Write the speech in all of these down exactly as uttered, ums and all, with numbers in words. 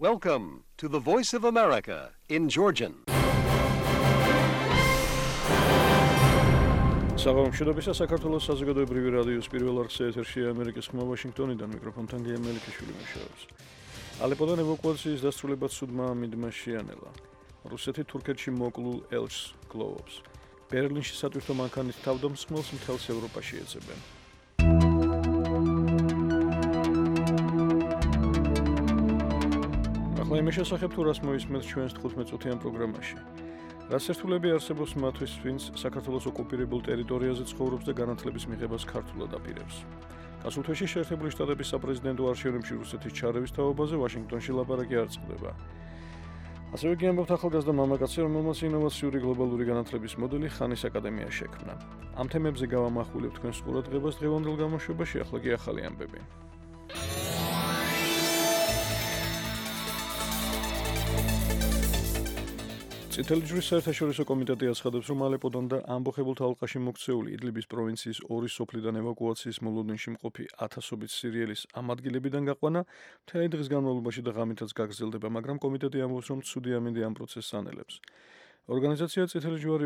Welcome to the Voice of America in Georgian. საღამოშობისა საქართველოს საზოგადოებრივი რადიოს პირველ არხზე ეთერში ამერიკის ხმა ვაშინგტონიდან მიკროფონთან გია მელიქიშვილი მუშაობს. ალეპოდან ევაკუაციის დასრულებად სუდმა მიდმაში ანელა. რუსეთი თურქეთში მოკლულ ელჩს გლოვობს. ბერლინში სატვირთო მანქანის თავდამსხმელს მთელს ევროპაში ეძებენ. ახლა იმის შესახებ თუ რას მოისმენთ ჩვენს თხუთმეტ-წუთიან პროგრამაში. რაც ერთულები არსებობს მათთვის, ვინც საქართველოს ოკუპირებულ ტერიტორიაზე ცხოვრობს და განათლების მიღებას ქართულად აპირებს. გასულ თვეში შეერთებული შტატების საპრეზიდენტო არჩევნებში რუსეთის ჩარევის თაობაზე ვაშინგტონში ლაპარაკი არ წყდება. ასევე კი ამბობთ ახალგაზრდა მამაკაცი, რომელმაც ინოვაციური გლობალური განათლების მოდელი ხანის აკადემია შექმნა. ამ თემებზე გავამახვილებ თქვენს ყურადღებას დღევანდელ გამოშვებაში, ახლა კი ახალი ამბები. წითელი ჯვრის საერთაშორისო კომიტეტი აცხადებს, რომ ალეპოდან და ამბოხებულთა ალყაში მოქცეული იდლიბის პროვინციის ორი სოფლიდან ევაკუაციის მოლოდინში მყოფი ათასობით სირიელის ამ ადგილებიდან გაყვანა მთელი დღის განმავლობაში და ღამითაც გაგრძელდება, მაგრამ კომიტეტი ამბობს, რომ ცუდი ამინდი ამ პროცესს ანელებს. ორგანიზაცია წითელი ჯვარი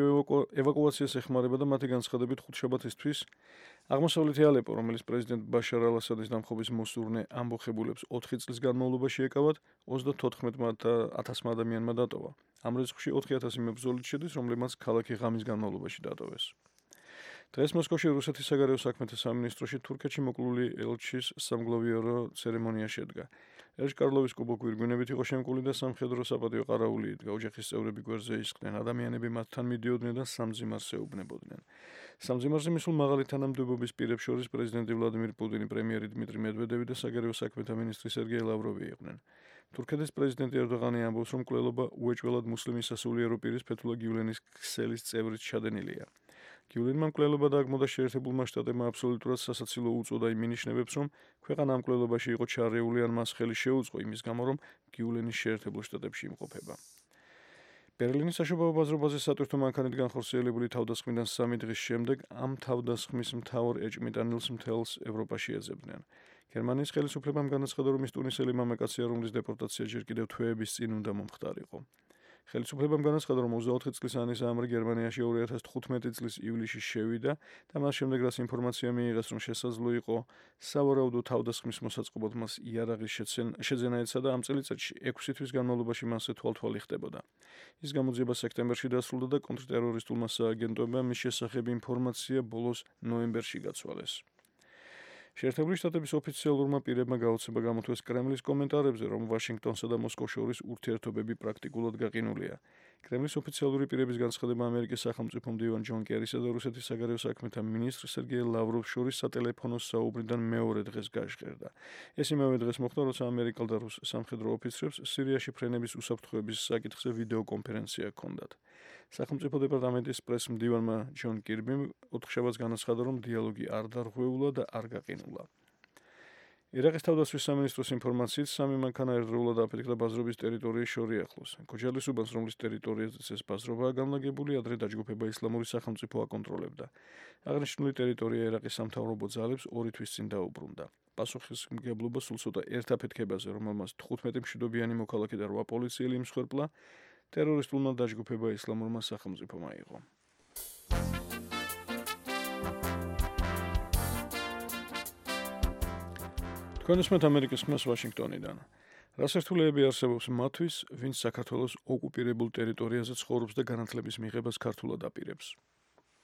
ევაკუაციას ეხმარება და მათი განცხადებით ხუთშაბათისთვის აღმოსავლეთი ალეპო, რომელიც პრეზიდენტ ბაშარ ალ-ასადის დამხობის მოსურნე ამბოხებულებს ოთხი წლის განმავლობაში ეკავათ, ოცდათოთხმეტ ათასმა ადამიანმა დატოვა. ამ რიცხვში ოთხი ათასი მებრძოლით შედის, რომლებმაც ქალაქი ღამის განმავლობაში დატოვეს. დღეს მოსკოვში რუსეთის საგარეო საქმეთა სამინისტროში თურქეთში მოკლული ელჩის სამგლოვიარო ცერემონია შედგა. ელჩ კარლოვის კუბო გვირგვინებით იყო შემკული და სამხედრო საპატიო ყარაული იდგა. ოჯახის წევრები გვერდზე ისხდნენ, ადამიანები მათთან მიდიოდნენ და სამძიმარს ეუბნებოდნენ. სამძიმარზე მისულ მაღალი თანამდებობის პირებს შორის პრეზიდენტი ვლადიმირ პუტინი, პრემიერი დმიტრი მედვედევი და საგარეო საქმეთა მინისტრი სერგეი ლავროვი იყვნენ. თურქეთის პრეზიდენტი ერდოღანი ამბობს, რომ კვლელობა უეჭველად მუსლიმის სასულიერო პირის ფეთულა გიულენის ქსელის წევრით ჩადენილია. გიულენმა მკვლელობა დააგმო და შეერთებულმა შტატებმა აბსოლუტურად სასაცილო უწოდა იმ მინიშნებებს, რომ ქვეყანა ამ მკვლელობაში იყო ჩარეული ან მას ხელი შეუწყო იმის გამო, რომ გიულენის შეერთებულ შტატებში იმყოფება. ბერლინის საშობაო ბაზრობაზე სატვირთო მანქანით განხორციელებული თავდასხმიდან სამი დღის შემდეგ ამ თავდასხმის მთავარ ეჭმიტანილს მთელს ევროპაში ეძებდნენ. გერმანიის ხელისუფლებამ განაცხადა, რომ ის ტუნისელი მამაკაცია, რომლის დეპორტაცია ჯერ კიდევ თვეების წინ უნდა მომხდარიყო. ხელისუფლებამ განაცხადა, რომ ოცდაოთხი წლის ანის ამრი გერმანიაში ორი ათას თხუთმეტი წლის ივლისში შევიდა და მას შემდეგ რაც ინფორმაცია მიიღეს, რომ შესაძლო იყო სავარაუდო თავდასხმის მოსაწყობად მას იარაღის შეძენა ეცა და ამ წელიწადში ექვსი თვის განმავლობაში მასზე თვალთვალი ხდებოდა. ის გამოძიება სექტემბერში დასრულდა და კონტრტერორისტულმა სააგენტოებამ მის შესახებ ინფორმაცია ბოლოს ნოემბერში გაცვალეს. შეერთებული შტატების ოფიციალურმა პირებმა გაოცება გამოთქვეს კრემლის კომენტარებზე, რომ ვაშინგტონსა და მოსკოვს შორის ურთიერთობები პრაქტიკულად გაყინულია. კრემლის ოფიციალური პირების განცხადება ამერიკის სახელმწიფო მდივან ჯონ კერისა და რუსეთის საგარეო საქმეთა მინისტრ სერგეი ლავროვს შორის სატელეფონო საუბრიდან მეორე დღეს გაჟღერდა. ეს იმავე დღეს მოხდა, როცა ამერიკელ და რუს სამხედრო ოფიცრებს სირიაში ფრენების უსაფრთხოების საკითხზე ვიდეო კონფერენცია ჰქონდათ. სახელმწიფო დეპარტამენტის პრეს-მდივანმა ჯონ კირბიმ ოთხშაბათს განაცხადა, რომ დიალოგი არ დარღვეულა და არ გაყინულა. ერაყის თავდაცვის სამინისტროს ინფორმაციით სამი მანქანა ერთდროულად აფეთქდა ბაზრობის ტერიტორიის შორიახლოს. ქოჯალის უბანს, რომლის ტერიტორიაზეც ეს ბაზრობაა განლაგებული, ადრე დაჯგუფება ისლამური სახელმწიფო აკონტროლებდა. აღნიშნული ტერიტორია ერაყის სამთავრობო ძალებს ორი თვის წინ დაუბრუნდა. პასუხისმგებლობა სულ ცოტა ერთ აფეთქებაზე, რომელმაც თხუთმეტი მშვიდობიანი მოქალაქე და რვა პოლიციელი იმსხვერპლა, ტერორისტულმა დაჯგუფება ისლამურმა სახელმწიფომ აიღო. თქვენ უსმენთ ამერიკის ხმას ვაშინგტონიდან. რას ერთულეები არსებობს მათთვის, ვინც საქართველოს ოკუპირებულ ტერიტორიაზე ცხოვრობს და განათლების მიღებას ქართულად აპირებს.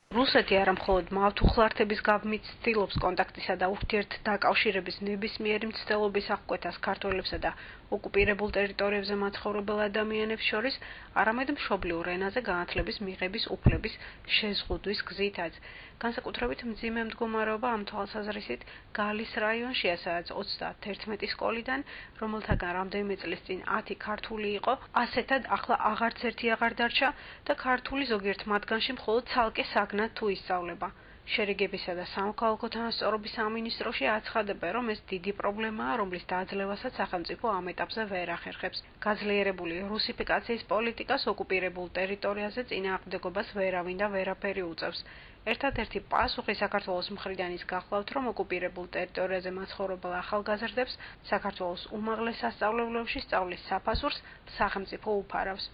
რუსეთი არა მხოლოდ მავთუხლართების გაბმით ცდილობს კონტაქტისა და ურთიერთდაკავშირების ნებისმიერი მცდელობის აღკვეთას ქართველებსა და ოკუპირებულ ტერიტორიებზე მაცხოვრებელ ადამიანებს შორის, არამედ მშობლიურ ენაზე განათლების მიღების უფლების შეზღუდვის გზითაც. განსაკუთრებით მძიმე მდგომარეობა ამ თვალსაზრისით გალის რაიონშია, სადაც ოცდაათერთმეტი სკოლიდან, რომელთაგან რამდენიმე წლის წინ ათი ქართული იყო, ასეთად ახლა აღარც ერთი აღარ დარჩა და ქართული ზოგიერთ მათგანში მხოლოდ ცალკე საგნად თუ ისწავლება. შერიგებისა და სამოქალაქო თანასწორობის სამინისტროში აცხადებენ, რომ ეს დიდი პრობლემაა, რომლის დაძლევასაც სახელმწიფო ამ ეტაპზე ვერ ახერხებს. გაძლიერებული რუსიფიკაციის პოლიტიკას ოკუპირებულ ტერიტორიაზე წინააღმდეგობას ვერავინ და ვერაფერი უწევს. ერთადერთი პასუხი საქართველოს მხრიდან ის გახლავთ, რომ ოკუპირებულ ტერიტორიაზე მაცხოვრებელ ახალგაზრდებს საქართველოს უმაღლეს სასწავლებლებში სწავლის საფასურს სახელმწიფო უფარავს.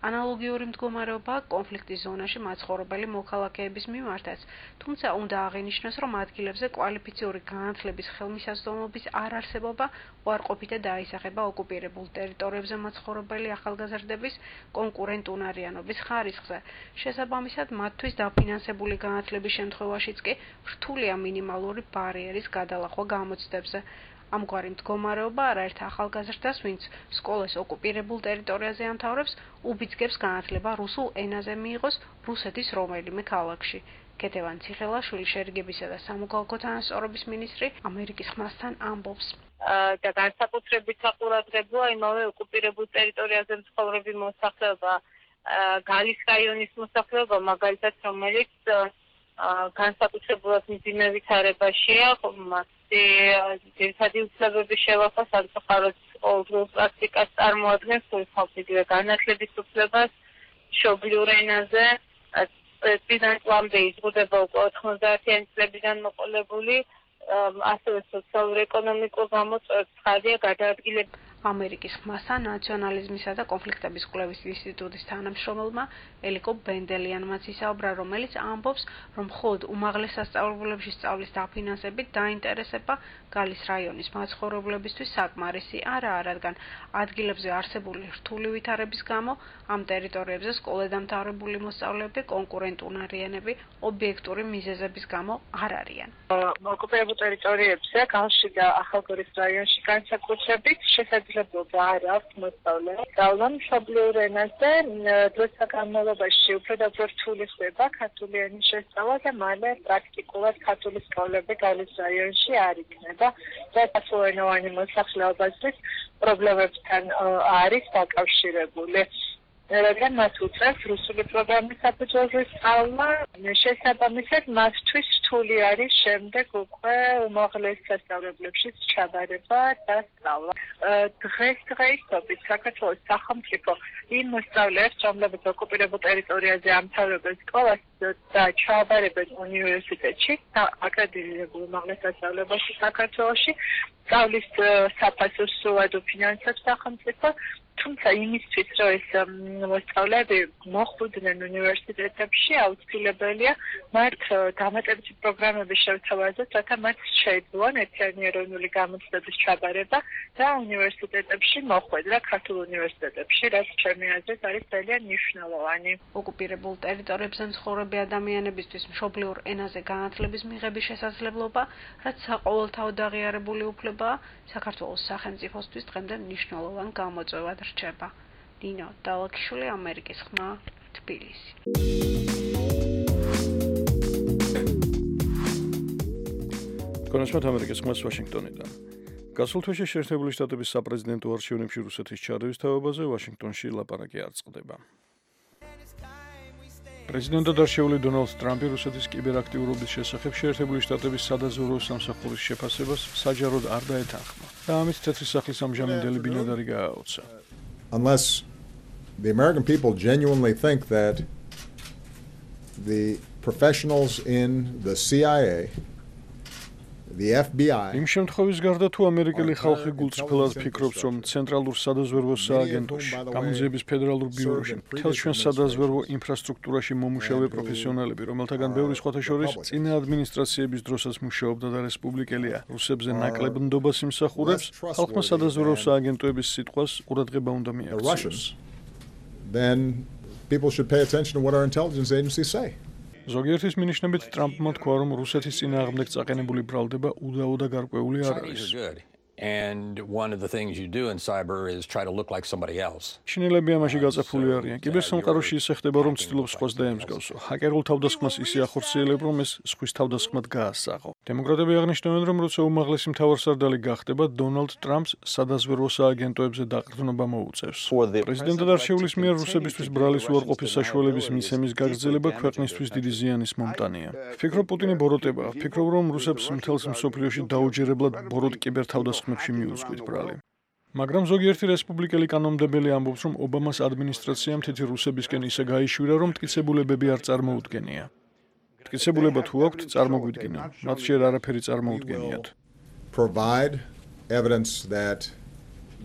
ანალოგიური მდგომარეობა კონფლიქტის ზონაში მაცხოვრებელი მოქალაქეების მიმართაც, თუმცა უნდა აღინიშნოს, რომ ადგილებზე კვალიფიციური განათლების ხელმისაწვდომობის არარსებობა უარყოფითად დაისახება ოკუპირებულ ტერიტორიებზე მაცხოვრებელი ახალგაზრდების კონკურენტუნარიანობის ხარისხზე. შესაბამისად, მათთვის დაფინანსებული განათლების შემთხვევაშიც კი რთულია მინიმალური ბარიერის გადალახვა გამოცდებზე. ამგვარი მდგომარეობა არაერთ ახალგაზრდას, ვინც სკოლას ოკუპირებულ ტერიტორიაზე ამთავრებს, უბიძგებს განათლება რუსულ ენაზე მიიღოს რუსეთის რომელიმე ქალაქში. კეთევან ციხელაშვილი შერიგებისა და სამოქალაქო თანასწორობის მინისტრი ამერიკის ხმასთან ამბობს. და განსაკუთრებით საყურადღებოა იმავე ოკუპირებულ ტერიტორიაზე მცხოვრები მოსახლეობა, გალის რაიონის მოსახლეობა, მაგალითად, რომელიც განსაკუთრებულად მძიმე ვითარებაშია, ძირითადი უფლებების შევახვა სამწუხაროდ ყოველდღიურ პრაქტიკას წარმოადგენს, თვითონ განათლების უფლებას მშობლიურ ენაზე წლიდან წლამდე იზღუდება უკვე ოთხმოცდაათიანი წლებიდან მოყოლებული, ასევე სოციალურ-ეკონომიკურ გამოწვევებს ხარია გადაადგილება. ამერიკის ხმასთან ნაციონალიზმისა და კონფლიქტების კვლევის ინსტიტუტის თანამშრომელმა ელიკო ბენდელიანმაც ისაუბრა, რომელიც ამბობს, რომ მხოლოდ უმაღლეს სასწავლებლებში სწავლის დაფინანსებით დაინტერესება გალის რაიონის მაცხოვრებლებისთვის საკმარისი არაა, რადგან ადგილებზე არსებული რთული ვითარების გამო ამ ტერიტორიებზე სკოლადამთავრებული მოსწავლეები კონკურენტუნარიანები ობიექტური მიზეზების გამო არ არიან. ოკუპირებულ ტერიტორიებზე, გალში და ახალგორის რაიონში განსაკუთრებით შესაძლებლობა არ აქვს მოსწავლეებს სწავლა მშობლიურ ენაზე. დროთა განმავლობაში უფრო და უფრო რთული ხდება ქართული ენის შესწავლა და მალე პრაქტიკულად ქართული სკოლები გალის რაიონში არ იქნება. და სასულენოვანი მოსახლეობისთვის პრობლემებთან არის დაკავშირებული. რადგან მას უწევს რუსული პროგრამის საფუძველზე სწავლა, შესაბამისად მათთვის რთული არის შემდეგ უკვე უმაღლეს სასწავლებლებში ჩაბარება და სწავლა. დღესდღეობით საქართველოს სახელმწიფო იმ მოსწავლეებს, რომლებიც ოკუპირებულ ტერიტორიაზე ამთავრებენ სკოლას და ჩააბარებენ უნივერსიტეტში, აკრედიტებულ უმაღლეს სასწავლებელში საქართველოში, სწავლის საფასურს სრულად უფინანსებს სახელმწიფო, თუმცა იმისთვის, რომ ეს მოსწავლეები მოხვდნენ უნივერსიტეტებში, აუცილებელია მათ დამატებითი პროგრამების შევთავაზოთ, რათა მათ შეეძლონ ერთიანი ეროვნული გამოცდების ჩაბარება და უნივერსიტეტებში მოხვედრა ქართულ უნივერსიტეტებში, რაც ჩემი აზრით არის ძალიან მნიშვნელოვანი. ოკუპირებულ ტერიტორიებზე მცხოვრები ადამიანებისთვის მშობლიურ ენაზე განათლების მიღების შესაძლებლობა, რაც საყოველთაოდ აღიარებული უფლებაა, საქართველოს სახელმწიფოსთვის დღემდე მნიშვნელოვან გამოწვევად რჩება. ნინო დალაქიშვილი, ამერიკის ხმა, თბილისი. კონსულტ ამერიკის ხმას ვაშინგტონიდან. გასულ თვეში შეერთებული შტატების საპრეზიდენტო არჩევნებში რუსეთის ჩარევის თავებაზე ვაშინგტონში ლაპარაკი არ წყდება. პრეზიდენტად არჩეული დონალდ ტრამპი რუსეთის კიბერაქტიურობის შესახებ შეერთებული შტატების სადაზვერვო სამსახურის შეფასებას საჯაროდ არ დაეთანხმა და ამით თეთრი სახლის ამჟამინდელი ბინადარი გააოცა. Unless the American people genuinely think that the professionals in the C I A, the F B I, იმ შემთხვევის გარდა თუ ამერიკელი ხალხი გულწრფელად ფიქრობს, რომ ცენტრალურ სადაზვერვო სააგენტოში, გამოძიების ფედერალურ ბიუროში, მთელ ჩვენ სადაზვერვო ინფრასტრუქტურაში მომუშავე პროფესიონალები, რომელთაგან ბევრი სხვათა შორის წინა ადმინისტრაციების დროსაც მუშაობდა და რესპუბლიკელია, რუსებზე ნაკლებ ნდობას იმსახურებს, ხალხმა სადაზვერვო სააგენტოების სიტყვას ყურადღება უნდა მიაქციოს. then people should pay attention to what our intelligence agencies say. ზოგიერთის მინიშნებით ტრამპმა თქვა, რომ რუსეთის წინააღმდეგ წაყენებული ბრალდება უდაო და გარკვეული არ არის. And one of the things you do in cyber is try to look like somebody else. შინელები ამაში გაწაფული არიან. კიბერსამყაროში ისე ხდება, რომ ცდილობს სხვას დაემსგავსო. ჰაკერულ თავდასხმას ისე ახორციელებ, რომ ეს სხვის თავდასხმად გაასაღო. დემოკრატები აღნიშნავენ, რომ როცა უმაღლესი მთავარსარდალი გახდება, დონალდ ტრამპს სადაზვერვო სააგენტოებზე დაყრდნობა მოუწევს. პრეზიდენტად არჩეულის მიერ რუსებისთვის ბრალის უარყოფის საშუალების მიცემის გაგრძელება ქვეყნისთვის დიდი ზიანის მომტანია. ვფიქრობ, პუტინი ბოროტება. ვფიქრობ, რომ რუსებს მთელს მსოფლიოში დაუჯერებლად ბოროტ კიბერთავდასხმებში მიუძღვით ბრალი. მაგრამ ზოგიერთი რესპუბლიკელი კანონმდებელი ამბობს, რომ ობამას ადმინისტრაციამ თითი რუსებისკენ ისე გაიშვირა, რომ მტკიცებულებები არ წარმოუდგენია. მტკიცებულება თუ აქვთ, წარმოგვიდგინონ. მათ შეიძლება არაფერი წარმოუდგენიათ. Provide evidence that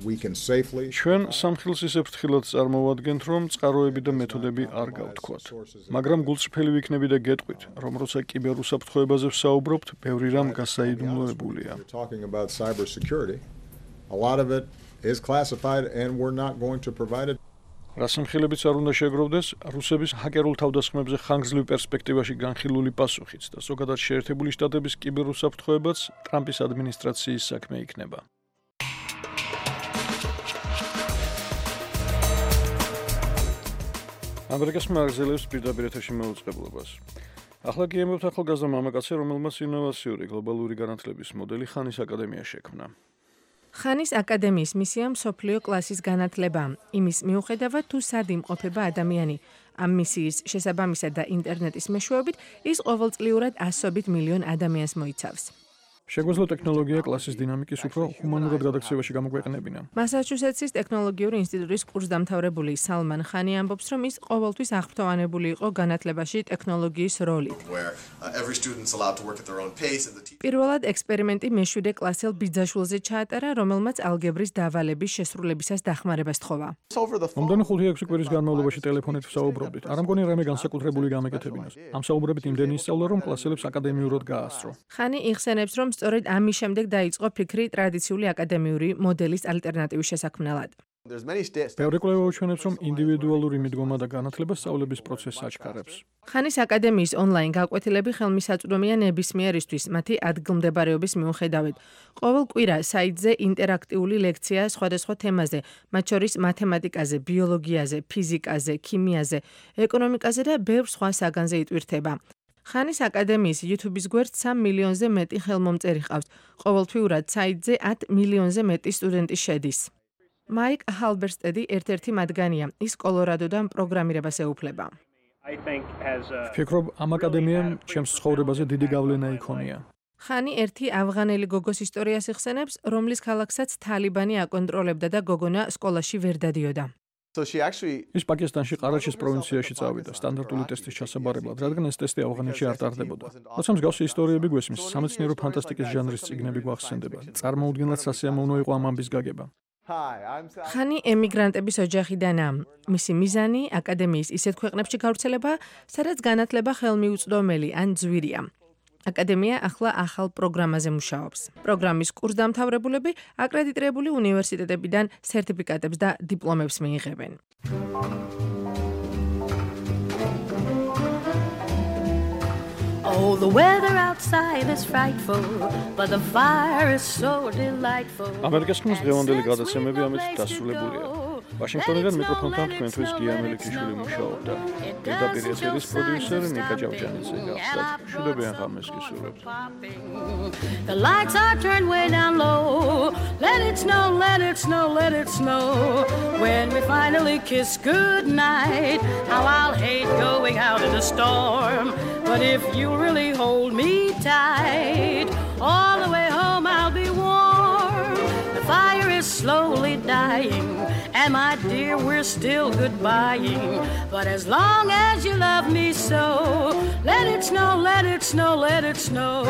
we can safely ჩვენ სამხილს ისე ფრთხილად წარმოვადგენთ, რომ წყაროები და მეთოდები არ გავთქვათ. მაგრამ გულწრფელი ვიქნები და გეტყვით, რომ როცა კიბერუსაფრთხოებაზე ვსაუბრობთ, ბევრი რამ გასაიდუმლოებულია. talking about cybersecurity, a lot of it is classified and we're not going to provide it. რას მხილებიც არ უნდა შეგროვდეს, რუსების ჰაკერულ თავდასხმებზე ხანგრძლივ პერსპექტივაში განხილული პასუხიც და ზოგადად შეერთებული შტატების კიბერუსაფრთხოებაც ტრამპის ადმინისტრაციის საქმე იქნება. ამერიკის მაღაზიელებს პირდაპირ ეთერში მოუწყებლობას. ახლა კი ემბობთ ახალგაზრდა მამაკაცი, რომელმაც ინოვაციური გლობალური განათლების მოდელი ხანის აკადემია შექმნა. ხანის აკადემიის მისია მსოფლიო კლასის განათლება. იმის მიუხედავად, თუ სად იმყოფება ადამიანი. ამ მისიის შესაბამისად და ინტერნეტის მეშვეობით, ის ყოველწლიურად ასობით მილიონ ადამიანს მოიცავს. შეგვეძლო ტექნოლოგია კლასის დინამიკის უფრო ჰუმანურად გადაქცევაში გამოგვეყნებინა. მასაჩუსეტსის ტექნოლოგიური ინსტიტუტის კურსდამთავრებული სალმან ხანი ამბობს, რომ ის ყოველთვის აღფრთოვანებული იყო განათლებაში ტექნოლოგიის როლით. პირველად ექსპერიმენტი მეშვიდე კლასელ ბიძაშვილზე ჩაატარა, რომელმაც ალგებრის დავალების შესრულებისას დახმარება სთხოვა. მომდენი ხუთი-ექვსი კვირის განმავლობაში ტელეფონით ვსაუბრობდით. არ მგონი რამე განსაკუთრებული გამეკეთებინოს. ამ საუბრებით იმდენი ისწავლა, რომ კლასელებს აკადემიურად გაასწრო. ხანი იხსენებს, რომ სწორედ ამის შემდეგ დაიწყო ფიქრი ტრადიციული აკადემიური მოდელის ალტერნატივის შესაქმნელად. ბევრი კვლევა უჩვენებს, რომ ინდივიდუალური მიდგომა და განათლება სწავლების პროცესს აჩქარებს. ხანის აკადემიის ონლაინ გაკვეთილები ხელმისაწვდომია ნებისმიერისთვის მათი ადგილმდებარეობის მიუხედავად. ყოველ კვირა საიტზე ინტერაქტიული ლექცია სხვადასხვა თემაზე, მათ შორის მათემატიკაზე, ბიოლოგიაზე, ფიზიკაზე, ქიმიაზე, ეკონომიკაზე და ბევრ სხვა საგანზე იტვირთება. ხანის აკადემიის YouTube-ის გვერდს სამ მილიონზე მეტი ხელმომწერი ჰყავს. ყოველთვიურად საიტზე ათ მილიონზე მეტი სტუდენტი შედის. მაიკ ჰალბერსტედი ერთ-ერთი მათგანია. ის კოლორადოდან პროგრამირებას ეუფლება. ვფიქრობ, ამ აკადემიამ ჩემს ცხოვრებაზე დიდი გავლენა იქონია. ხანი ერთი ავღანელი გოგოს ისტორიას იხსენებს, რომლის ქალაქსაც თალიბანი აკონტროლებდა და გოგონა სკოლაში ვერ დადიოდა. ის პაკისტანში ყარაჩის პროვინციაში წავიდა სტანდარტული ტესტის ჩასაბარებლად, რადგან ეს ტესტი ავღანეთში არ ტარდებოდა. როცა მსგავსი ისტორიები გვესმის, სამეცნიერო ფანტასტიკის ჟანრის წიგნები გვახსენდება. წარმოუდგენლად სასიამოვნო იყო ამ ამბის გაგება. ხანი ემიგრანტების ოჯახიდანაა. მისი მიზანი აკადემიის ისეთ ქვეყნებში გავრცელება, სადაც განათლება ხელმიუწვდომელი ან ძვირია. აკადემია ახლა ახალ პროგრამაზე მუშაობს. პროგრამის კურსდამთავრებულები აკრედიტირებული უნივერსიტეტებიდან სერტიფიკატებს და დიპლომებს მიიღებენ. Oh, the weather outside is frightful, but the fire is so delightful. ამერიკის ხმის დღევანდელი გადაცემები ამით დასრულებულია. ვაშინგტონიდან მიკროფონთან თქვენთვის გია მელიქიშვილი მუშაობდა. პირდაპირ ეთერის პროდიუსერი ნიკა ჯავჯანიძე გახლდათ. მშვიდობიან ღამეს გისურვებთ. The lights are turned way down low. Let it snow, let it snow, let it snow. When we finally kiss goodnight, how I'll hate going out in a storm. But if you really hold me tight, all the way home I'll be warm. The fire is slowly dying, and my dear, we're still goodbying. But as long as you love me so, let it snow, let it snow, let it snow.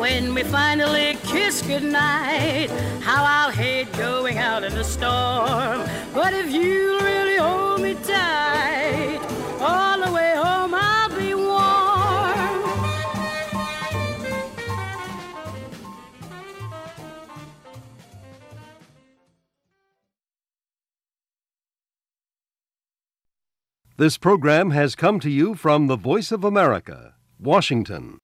When we finally kiss goodnight, how I'll hate going out in the storm. But if you really hold me tight, all the way home I'll be warm. This program has come to you from the Voice of America, Washington.